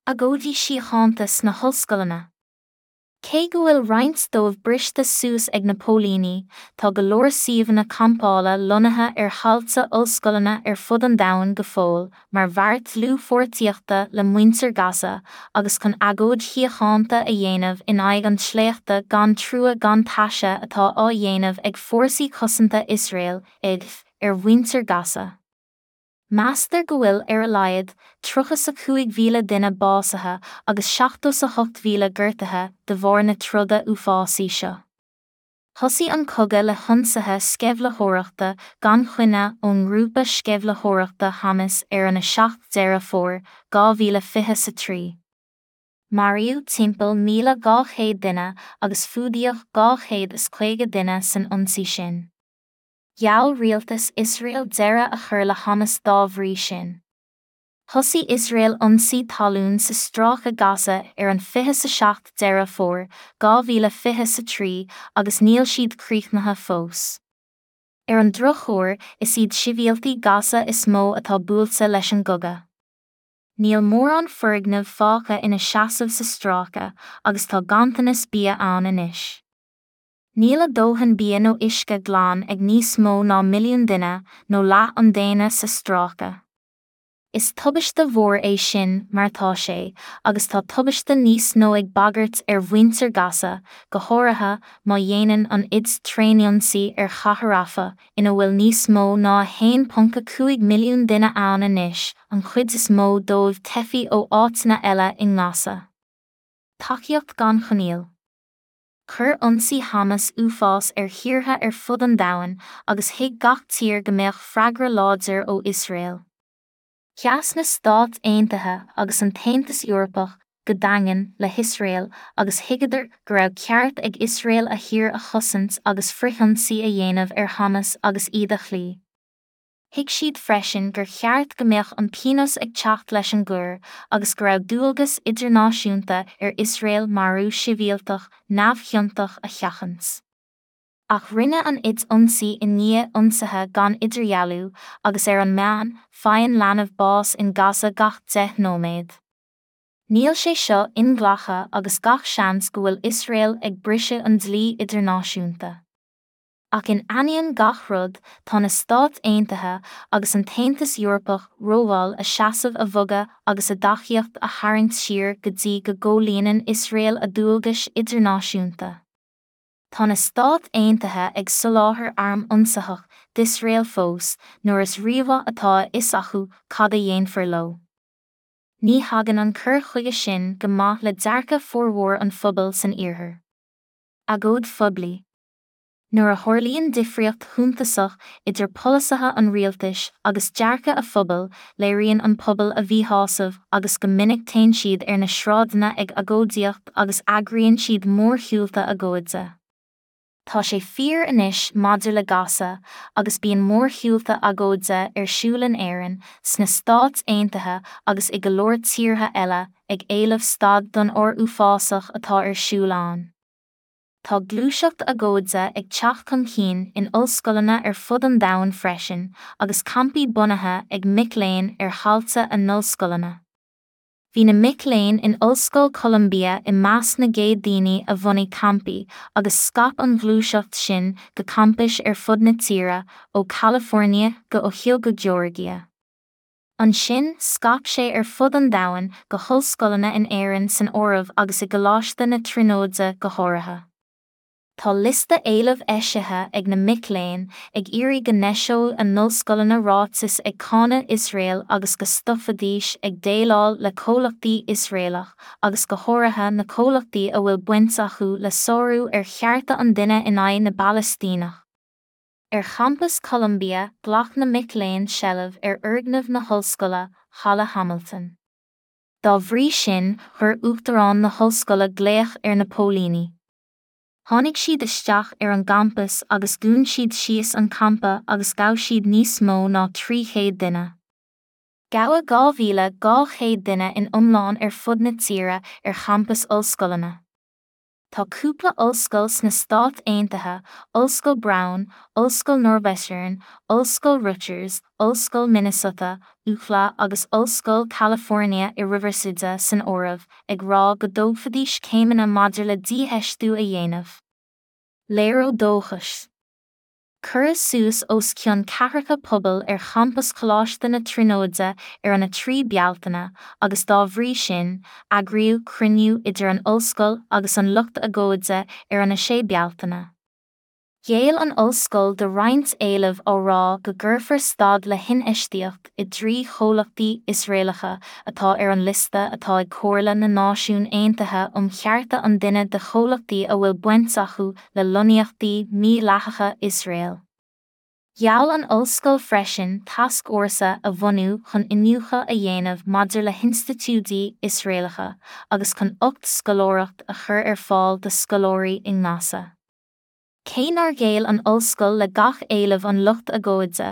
Agóidí síochánta sna hollscoileanna. Cé go bhfuil roinnt dóibh briste suas ag na póilíní, tá go leor suíomhanna campála lonnaithe ar thailte ollscoileanna ar fud an domhain go fóill mar bheart dlúthpháirtíochta le muintir Gaza agus chun agóid shíochánta a dhéanamh in aghaidh an tsléachta gan trua gan taise atá á dhéanamh ag Fórsaí Cosanta Iosrael, IDF, ar mhuintir Gaza. Meastar go bhfuil ar a laghad 35,000 duine básaithe agus 78,000 gortaithe de bharr na troda uafásaí seo. Thosaigh an cogadh le hionsaithe sceimhlitheoireachta gan choinne ón ngrúpa sceimhlitheoireachta Hamas ar an 7 Deireadh Fómhair, 2023. Maraíodh timpeall 1,200 duine agus fuadaíodh 250 duine san ionsaí sin. Gheall rialtas Iosrael deireadh a chur le Hamas dá bhrí sin. Thosaigh Iosrael ionsaí talún sa Stráice Gaza ar an 27 Deireadh Fómhair, 2023 agus níl siad críochnaithe fós. Ar an drochuair, is iad sibhialtaigh Gaza is mó atá buailte leis an gcogadh. Níl mórán foirgneamh fágtha ina seasamh sa stráice agus tá ganntanas bia ann anois. Níl a dóthain bia nó uisce glan ag níos mó ná milliún duine, nó leath an daonra sa stráice. Is tubaiste mhór é sin mar atá sé, agus tá tubaiste níos nó ag bagairt ar mhuintir Gaza, go háirithe má dhéanann an IDF tréanionsaí ar chathair Rafah, ina bhfuil níos mó ná 1.5 milliún duine ann anois, an chuid is mó dóibh teifigh ó áiteanna eile i nGaza. Tacaíocht gan choinníoll. Chuir ionsaí Hamas uafás ar thíortha ar fud an domhain agus thuig gach tír go mbeadh freagra láidir ó Iosrael. Sheas na Stáit Aontaithe agus an tAontas Eorpach go daingean le hIosrael agus thuigeadar go raibh ceart ag Iosrael a thír a chosaint agus frithionsaí a dhéanamh ar Hamas agus iad a chloí. Thuig siad freisin gur cheart go mbeadh an pionós ag teacht leis an gcoir agus go raibh dualgas idirnáisiúnta ar Iosrael marú sibhialtach neamhchiontach a sheachaint. Ach rinne an IDF ionsaí i ndiaidh ionsaithe gan idirdhealú agus ar an meán, faigheann leanbh bás in Gaza gach 10 nóiméad. Níl sé seo inghlactha agus gach seans go bhfuil Iosrael ag briseadh an dlí idirnáisiúnta. Ach in ainneoin gach rud, tá na Stáit Aontaithe agus an tAontas Eorpach rómhall a seasamh a bhogadh agus a dtacaíocht a tharraingt siar go dtí go gcomhlíonann Iosrael a dualgais idirnáisiúnta. Tá na Stáit Aontaithe ag soláthar arm ionsaitheach d'Iosrael fós nuair is rímhaith atá a fhios acu cad a dhéanfar leo. Ní thagann an cur chuige sin go maith le dearcadh formhór an phobail san Iarthar. Agóid phoiblí. Nuair a tharlaíonn difríocht shuntasach idir polasaithe an rialtais agus dearcadh a phobail, léiríonn an pobal a mhíshásamh agus go minic téann siad ar na sráideanna ag agóidíocht agus eagraíonn siad mórshiúlta agóide. Tá sé fíor anois maidir le Gaza agus bíonn mórshiúlta agóide ar siúl in Éirinn, sna Stáit Aontaithe agus i go leor tíortha eile ag éileamh stad don ár uafásach atá ar siúl ann. Tá gluaiseacht agóide ag teacht chun cinn in ollscoileanna ar fud an domhain freisin agus campaí bunaithe ag mic léinn ar thailte a n-ollscoileanna. Bhí na mic léinn in Ollscoil Columbia i measc na gcéad daoine a bhunaigh campaí agus scaip an ghluaiseacht sin go campais ar fud na tíre, ó California go Ohio go Georgia. Ansin, scaip sé ar fud an domhain, go hollscoileanna in Éirinn san áireamh agus i gColáiste na Tríonóide go háirithe. Tá liosta éileamh eisithe ag na mic léinn, ag iarraidh go n-eiseodh a n-ollscoileanna ráiteas ag cáineadh Iosrael agus go stopfaidís ag déileáil le comhlachtaí Iosraelach agus go háirithe na comhlachtaí a bhfuil baint acu le sárú ar chearta an duine in aghaidh na bPalaistíneach. Ar champas Columbia, ghlac na mic léinn seilbh ar fhoirgneamh na hollscoile, Halla Hamilton. Dá bhrí sin, chuir uachtarán na hollscoile glaoch ar na póilíní. Tháinig siad isteach ar an gcampas agus dhún siad síos an campa agus ghabh siad níos mó ná 300 duine. Gabhadh 2,200 duine in iomlán ar fud na tíre ar champais ollscoileanna. Tá cúpla ollscoil sna Stáit Aontaithe, Ollscoil Brown, Ollscoil Northwestern, Ollscoil Rutgers, Ollscoil Minnesota, UCLA agus Ollscoil California i Riverside san áireamh, ag rá go dtógfaidís céimeanna maidir le dífheistiú a dhéanamh. Léiriú dóchais. Cuireadh suas os cionn ceathracha puball ar champas Choláiste na Tríonóide ar an 3 Bealtaine agus dá bhrí sin, eagraíodh cruinniú idir an ollscoil agus an lucht agóide ar an 6 Bealtaine. Ghéill an ollscoil do roinnt éileamh á rá go gcuirfear stad le hinfheistíocht i dtrí chomhlachtaí Iosraelacha atá ar an liosta atá ag Comhairle na Náisiún Aontaithe um Chearta an Duine de chomhlachtaí a bhfuil baint acu le lonnaíochtaí mídhleathacha Iosrael. Gheall an ollscoil freisin tascfhórsa a bhunú chun iniúchadh a dhéanamh maidir le hinstitiúidí Iosraelacha agus chun 8 scoláireacht a chur ar fáil do scoláirí i nGaza. Cé nár ghéill an ollscoil le gach éileamh an lucht agóide,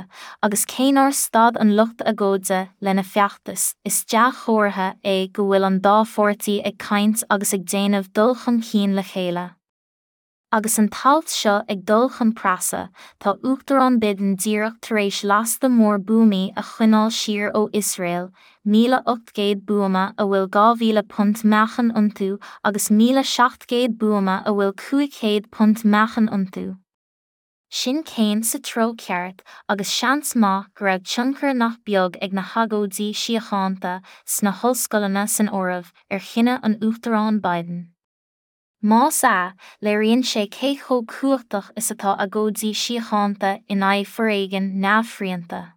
agus cé nár stad an lucht agóide lena feachtas, is dea-chomhartha é go bhfuil an dá pháirtí ag caint agus ag déanamh dul chun cinn le chéile. Agus an t-alt seo ag dul chun preasa, tá Uachtarán Biden díreach tar éis lasta mór buamaí a choinneáil siar ó Iosrael, 1,800 buama a bhfuil 2,000 punt meáchain iontu agus 1,700 buama a bhfuil 500 punt meáchain iontu. Sin céim sa treo ceart agus seans maith go raibh tionchar nach beag ag na hagóidí síochánta, sna hollscoileanna san áireamh, ar chinneadh an Uachtaráin Biden. Más ea, léiríonn sé cé chomh cumhachtach is atá agóidí síochánta in aghaidh foréigean neamhshrianta.